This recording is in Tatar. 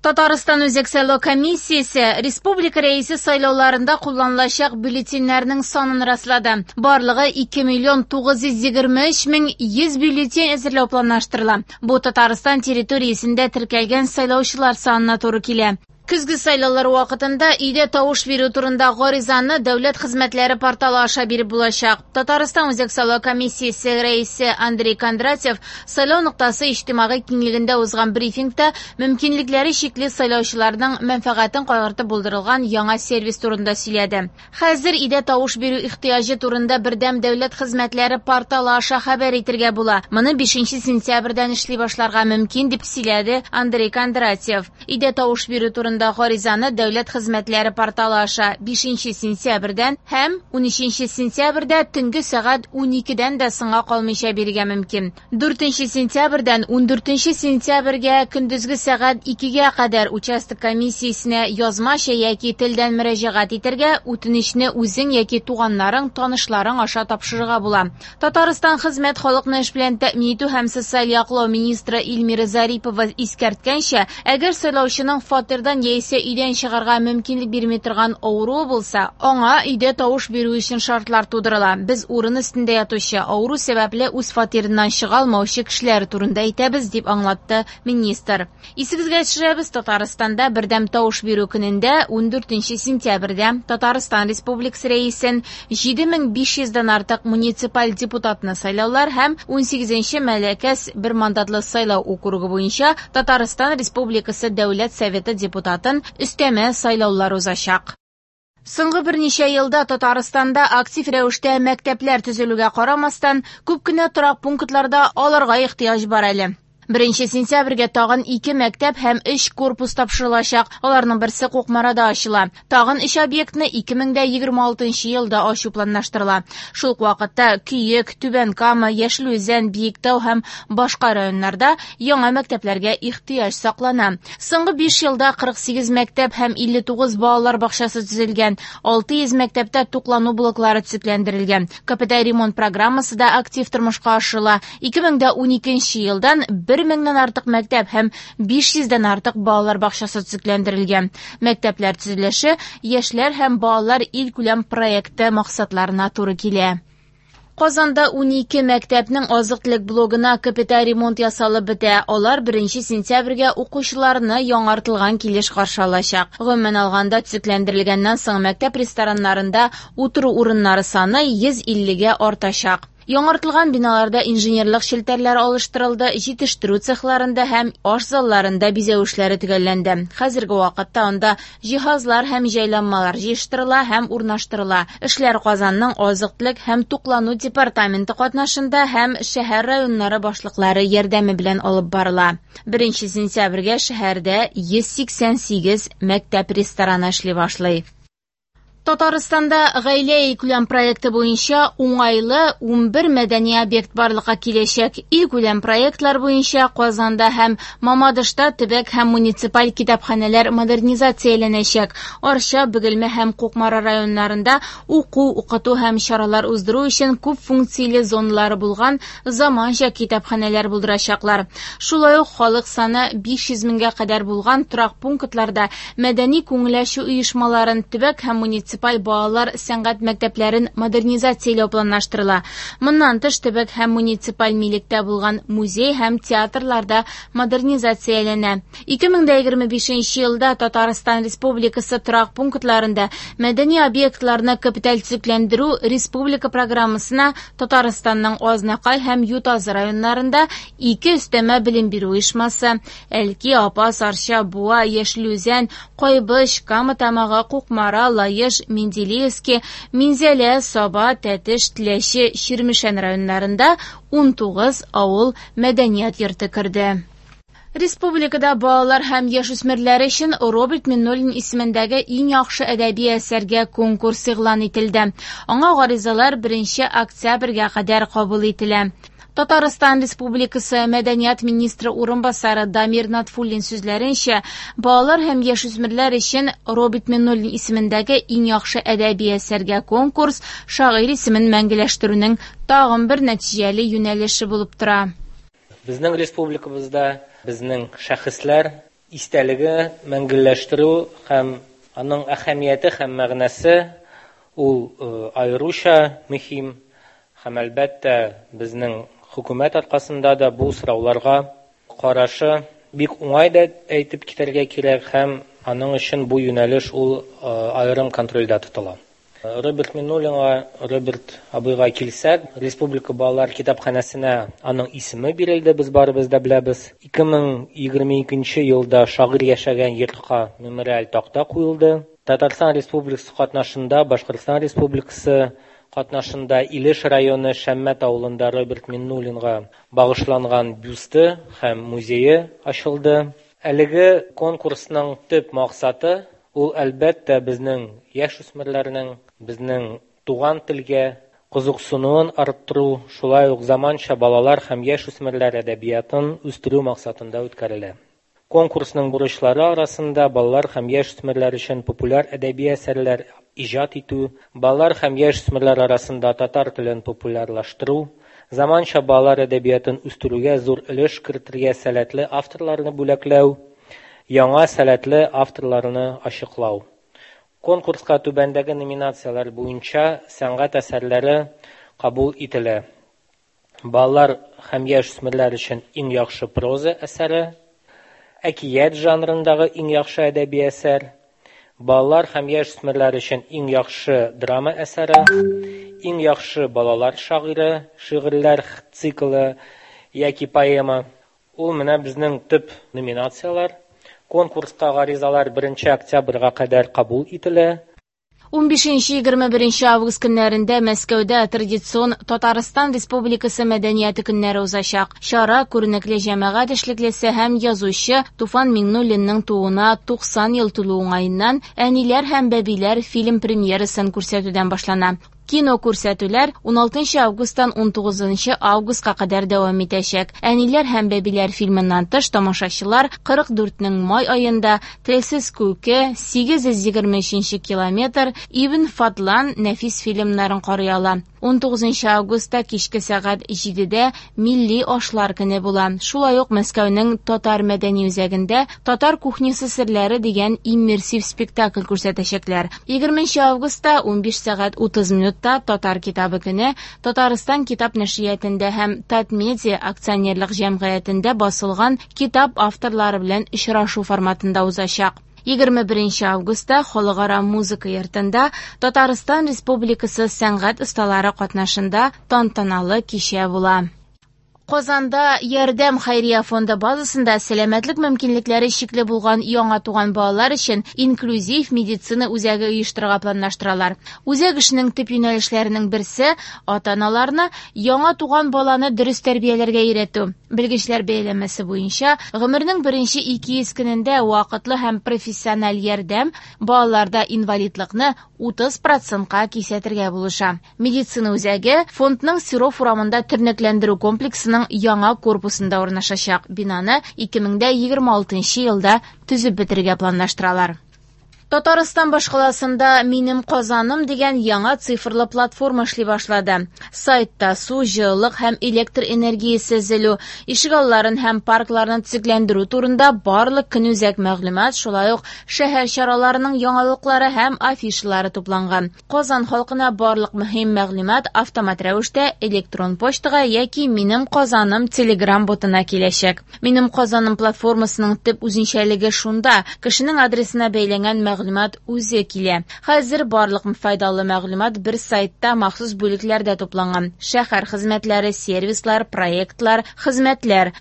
Татарстан Үзәк сайлау комиссиясе республика Рәисе сайлауларында кулланылачак бюллетеньнәрнең санын раслады. Барлыгы 2 миллион 923 мең 100 бюллетень әзерләү планлаштырыла. Бу Татарстан территориясендә теркәлгән сайлаучылар санына туры килә. Көзге сайлаулар вакытында өйдә тавыш бирү турында гаризаны дәүләт хезмәтләре порталы аша биреп булачак. Татарстан Үзәк сайлау комиссиясе рәисе Андрей Кондратьев сайлау ноктасы иҗтимагый киңлегендә узган брифингта мөмкинлекләре чикле сайлаучыларның мәнфәгатен кайгыртып булдырылган яңа сервис турында сөйләде. Хәзер өйдә тавыш бирү ихтыяҗы турында бердәм дәүләт хезмәтләре порталы аша хәбәр итергә була. Моны 5 сентябрьдән эшли башларга мөмкин, дип сөйләде Андрей Кондратьев. Өйдә тавыш бирү турында гаризаны дәүләт хезмәтләре порталы аша 5 сентябрьдән һәм 13 сентябрьдә төнге сәгать 12-дән дә соңга калмыйча бирергә мөмкин. 4 сентябрьдән 14 сентябрьгә көндезге сәгать 2-гә кадәр участок комиссиясенә язмача яки телдән мөрәҗәгать итәргә, үтенечне үзең яки туганнарың, танышларың аша тапшырырга була. Татарстан хезмәт халыкны эш белән тәэмин итү һәм социаль яклау министры Эльмира Зарипова искәрткәнчә, әгәр сайлаучының фатирдан яисә өйдән чыгарга мөмкинлек бирми торган авыруы булса, аңа өйдә тавыш бирү өчен шартлар тудырыла. Без урын өстендә ятучы, авыру сәбәпле үз фатирыннан чыга алмаучы кешеләр турында әйтәбез, дип аңлатты министр. Исегезгә төшерәбез, Татарстанда бердәм тавыш бирү көнендә 14 сентябрьдә Татарстан Республикасы рәисен 7500-дән артык муниципаль депутатны сайлаулар һәм 18 Мәләкәс бер мандатлы сайлау округы буенча Татарстан Республикасы Дәүләт Советы депутатын өстәмә сайлаулар узачак. Соңгы берничә елда Татарстанда актив рәвештә мәктәпләр төзелүгә карамастан, күп кенә торак пунктларда аларга ихтыяҗ бар әле. 1 сентябрьгә тагын 2 мәктәп һәм 3 корпус тапшырылачак. Аларның берсе Кукмарада ачыла. Тагын 3 объектны 2026 елда ачу планлаштырыла. Шул ук вакытта Көек, Түбән Кама, Яшел Үзән, Биектау һәм башка районнарда яңа мәктәпләргә ихтыяҗ саклана. Соңгы 5 елда 48 мәктәп һәм 59 балалар бакчасы төзелгән. 600 мәктәптә туклану блоклары төзекләндерелгән. Капиталь ремонт программасы да актив тормышка ашырыла. 2012 елдан 1000-нән артык мәктәп һәм 500-дән артык балалар бакчасы төзекләндерелгән. Мәктәпләр төзелеше Яшьләр һәм балалар илкүләм проекты максатларына туры килә. Казанда 12 мәктәпнең азык-төлек блогына капиталь ремонт ясалып бетә. Алар 1 сентябрьгә укучыларны яңартылган килеш каршы алачак. Гомумән алганда, төзекләндерелгәннән соң мәктәп рестораннарында утыру урыннары саны 150-гә артачак. Яңартылган биналарда инженерлык челтәрләре алыштырылды, җитештерү цехларында һәм аш залларында бизәү эшләре төгәлләнде. Хәзерге вакытта анда җиһазлар һәм җайланмалар җыештырыла һәм урнаштырыла. Эшләр Казанның азык-төлек һәм туклану департаменты катнашында һәм шәһәр районнары башлыклары ярдәме белән алып барыла. 1 сентябрьгә шәһәрдә 188 мәктәп рестораны эшли башлый. Татарстанда гаилә илкүләм проекты буенча уңайлы 11 мәдәни объект барлыкка киләчәк. Илкүләм проектлар буенча Казанда һәм Мамадышта төбәк һәм муниципаль китапханәләр модернизацияләнәчәк. Арча, Бөгелмә һәм Кукмара районнарында уку, укыту һәм чаралар уздыру өчен күп функцияле зоналары булган заманча китапханәләр булдырачаклар. Шулай ук халык саны 500 меңгә кадәр булган торак пунктларда мәдәни күңел ачу оешмаларын, төбәк һәм муниципаль балалар сәнгать мәктәпләрен модернизацияләү планлаштырыла. Моннан тыш төбәк һәм муниципаль милектә булган музей һәм театрларда модернизацияләнә. 2025 елда Татарстан Республикасы торак пунктларында мәдәни объектларны капиталь төзекләндерү республика программасына Татарстанның Азнакай һәм Ютазы районнарында 2 өстәмә белем бирү оешмасы, Әлки, Апас, Арча, Буа, Яшел Үзән, Кайбыч, Кама Тамагы, Кукмара, Лаеш, Менделеевский, Минзәлә, Саба, Тәтеш, Теләче, Чирмешән районнарында 19 авыл мәдәният йорты керде. Республикада балалар һәм яшүсмерләр өчен Роберт Миңнуллин исемендәге иң яхшы әдәби әсәргә конкурс игълан ителде. Аңа гаризалар 1 октябрьгә кадәр кабул ителә. Татарстан Республикасы Мәдәният министры урынбасары Дамир Натфуллин сүзләренчә, балалар һәм яшүсмерләр өчен Роберт Миңнуллин исемендәге иң яхшы әдәби әсәргә конкурс шагыйрь исемен мәңгеләштерүнең тагын бер нәтиҗәле юнәлеше булып тора. Безнең республикабызда безнең шәхесләр Истәлеге мәңгелләштерү һәм аның әһәмияте һәм мәгънәсе ул аеруча мөһим һәм, әлбәттә, безнең хөкүмәт аркасында да бу сорауларга карашы бик уңай да әйтеп китәргә кирәк, һәм аның өчен бу юнәлеш ул аерым контрольдә тотыла. Роберт Миңнуллинга, Роберт абыйга килсәк, Республика балалар китапханәсенә аның исеме бирелде, без барыбыз да беләбез. 2022 елда шагыйрь яшәгән йортка мемориаль такта куелды. Татарстан Республикасы катнашында, Башкортстан Республикасы катнашында Илеш районы Шәммәт авылында Роберт Миңнуллинга багышланган бюсты һәм музее ачылды. Әлеге конкурсның төп максаты ул, әлбәттә, безнең яшь үсмерләрнең, безнең туган телгә кызыксынуын арттыру, шулай ук заманча балалар һәм яшь үсмерләр әдәбиятын үстерү максатында үткәрелә. Конкурсның бурычлары арасында балалар һәм яшь үсмерләр өчен популяр әдәби әсәрләр иҗат итү, балалар һәм яшь үсмерләр арасында татар телен популярлаштыру, заманча балалар әдәбиятын үстерүгә зур өлеш кертергә сәләтле авторларны бүләкләү, яңа сәләтле авторларны ачыклау. Конкурска түбәндәге номинацияләр буенча сәнгать әсәрләре кабул ителә. Балалар һәм яшь үсмерләр өчен иң яхшы проза әсәре, әкият жанрындагы иң яхшы әдәби әсәр, балалар һәм яшь үсмерләр өчен иң яхшы драма әсәре, иң яхшы балалар шагыйре, шигырьләр циклы яки поэма. Ул менә безнең төп номинацияләр. Конкурска гаризалар 1 октябрьгә кадәр кабул ителә. 15-21 август көннәрендә Мәскәүдә традицион Татарстан Республикасы мәдәнияте көннәре узачак. Чара күренекле җәмәгать эшлеклесе һәм язучы Туфан Миңнуллинның тууына 90 ел тулу уңаеннан Әниләр һәм бәбиләр фильм премьерасын күрсәтүдән башлана. Кино күрсәтүләр 16 августтан 19 августка кадәр дәвам итәчәк. Әниләр һәм бәбиләр фильмыннан тыш тамашачылар 44-нең май аенда Телсез күке, 823 километр, Ибн Фадлан нәфис фильмнарын карый ала. 19 августта кичке сәгать 7-дә милли ашлар көне була. Шулай ук Мәскәүнең Татар мәдәни үзәгендә Татар кухнясы серләре дигән иммерсив спектакль күрсәтәчәкләр. 20 августта 15 сәгать 30 минутта Татар китабы көне Татарстан китап нәшриятендә һәм Татмедиа акционерлык җәмгыятендә басылган китап авторлары белән очрашу форматында узачак. 21 августта Халыкара музыка йортында Татарстан Республикасы сәнгать осталары катнашында тантаналы кичә була. Казанда Ярдәм хәйрия фонды базасында сәламәтлек мөмкинлекләре чикле булган яңа туган балалар өчен инклюзив медицина үзәге оештырырга планлаштыралар. Үзәк эшенең төп юнәлешләренең берсе ата-аналарны яңа туган баланы дөрес тәрбияләргә өйрәтү. Белгечләр бәяләмәсе буенча, гомернең беренче 200 көнендә вакытлы һәм профессиональ ярдәм балаларда инвалидлыкны 30%-ка кисәтергә булыша. Медицина үзәге фондның Серов урамында тернәкләндерү комплексының яңа корпусында урнашачак. Бинаны 2026 елда төзеп бетерергә планлаштыралар. Татарстан башкаласында Минем Казаным дигән яңа цифрлы платформа эшли башлады. Сайтта су, җылылык һәм электр энергиясе өзелү, ишегалларын һәм паркларны төзекләндерү турында барлык көнүзәк мәгълүмат, шулай ук шәһәр чараларының яңалыклары һәм афишалары тупланган. Казан халкына барлык мөһим мәгълүмат автомат рәвештә электрон почтага яки Минем Казаным Telegram ботына киләчәк. Минем Казаным платформасының төп үзенчәлеге шунда, кешенең адресына бәйләнгән мәгълүмат үзе килә. Хәзер барлык файдалы мәгълүмат бер сайтта махсус бүлекләрдә тупланган. Шәһәр хезмәтләре, сервислар, проектлар, хезмәтләр.